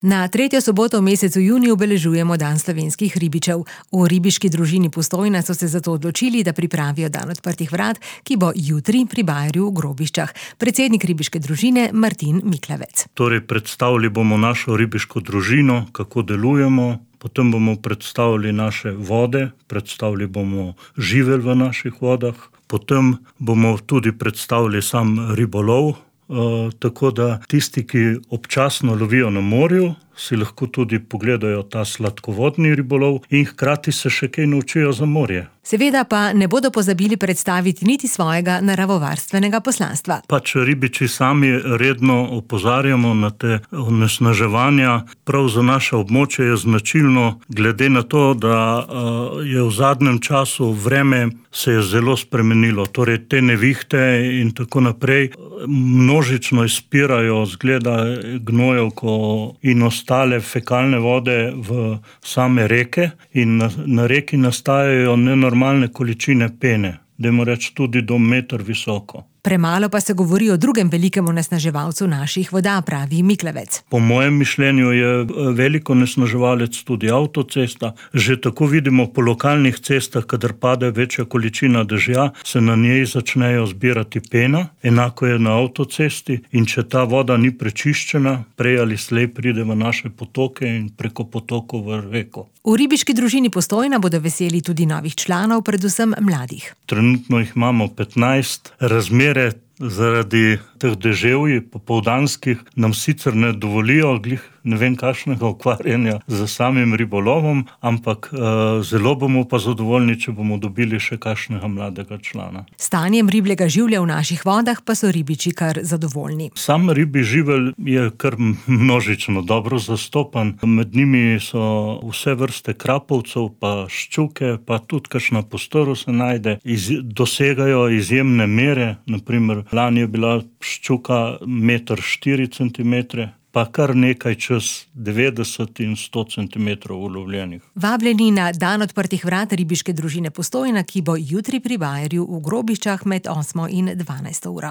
Na tretjo soboto v mesecu juniju obeležujemo dan slovenskih ribičev. V ribiški družini Postojna so se zato odločili, da pripravijo dan odprtih vrat, ki bo jutri pri Bajerju v Grobiščah. Predsednik ribiške družine Martin Miklavec. Torej, predstavili bomo našo ribiško družino, kako delujemo, potem bomo predstavili naše vode, predstavili bomo živelj v naših vodah, potem bomo tudi predstavili sam ribolov, tako da tisti, ki občasno lovijo na morju, si lahko tudi pogledajo ta sladkovodni ribolov in hkrati se še kaj naučijo za morje. Seveda pa ne bodo pozabili predstaviti niti svojega naravovarstvenega poslanstva. Pač ribiči sami redno opozarjamo na te onesnaževanja. Prav za naše območje je značilno, glede na to, da je v zadnjem času vreme se je zelo spremenilo. Torej te nevihte in tako naprej množično izpirajo zgleda gnojevko in ostale fekalne vode v same reke in na reki nastajajo nenormalne količine pene, dajmo reči tudi do meter visoko. Premalo pa se govori o drugem velikem onesnaževalcu naših voda, pravi Miklavec. Po mojem mišljenju je velik onesnaževalec tudi avtocesta. Že tako vidimo po lokalnih cestah, kadar pade večja količina dežja, se na njej začnejo zbirati pena. Enako je na avtocesti in če ta voda ni prečiščena, prej ali slej pride v naše potoke in preko potokov v reko. V ribiški družini Postojna bodo veseli tudi novih članov, predvsem mladih. Trenutno jih imamo 15. Razmere zaradi teh deževij popoldanskih nam sicer ne dovolijo ne vem kakšnega ukvarjanja z samim ribolovom, ampak zelo bomo pa zadovoljni, če bomo dobili še kakšnega mladega člana. Stanjem ribjega življa v naših vodah pa so ribiči kar zadovoljni. Sam ribji živelj je kar množično dobro zastopan. Med njimi so vse vrste krapovcev, pa ščuke, pa tudi kakšna postoro se najde. Dosegajo izjemne mere, na primer lani je bila ščuka 1,4 centimetre, pa kar nekaj čez 90 in 100 centimetrov ulovljenih. Vabljeni na dan odprtih vrat ribiške družine Postojna, ki bo jutri pri Bajerju v Grobiščah med 8. in 12. uro.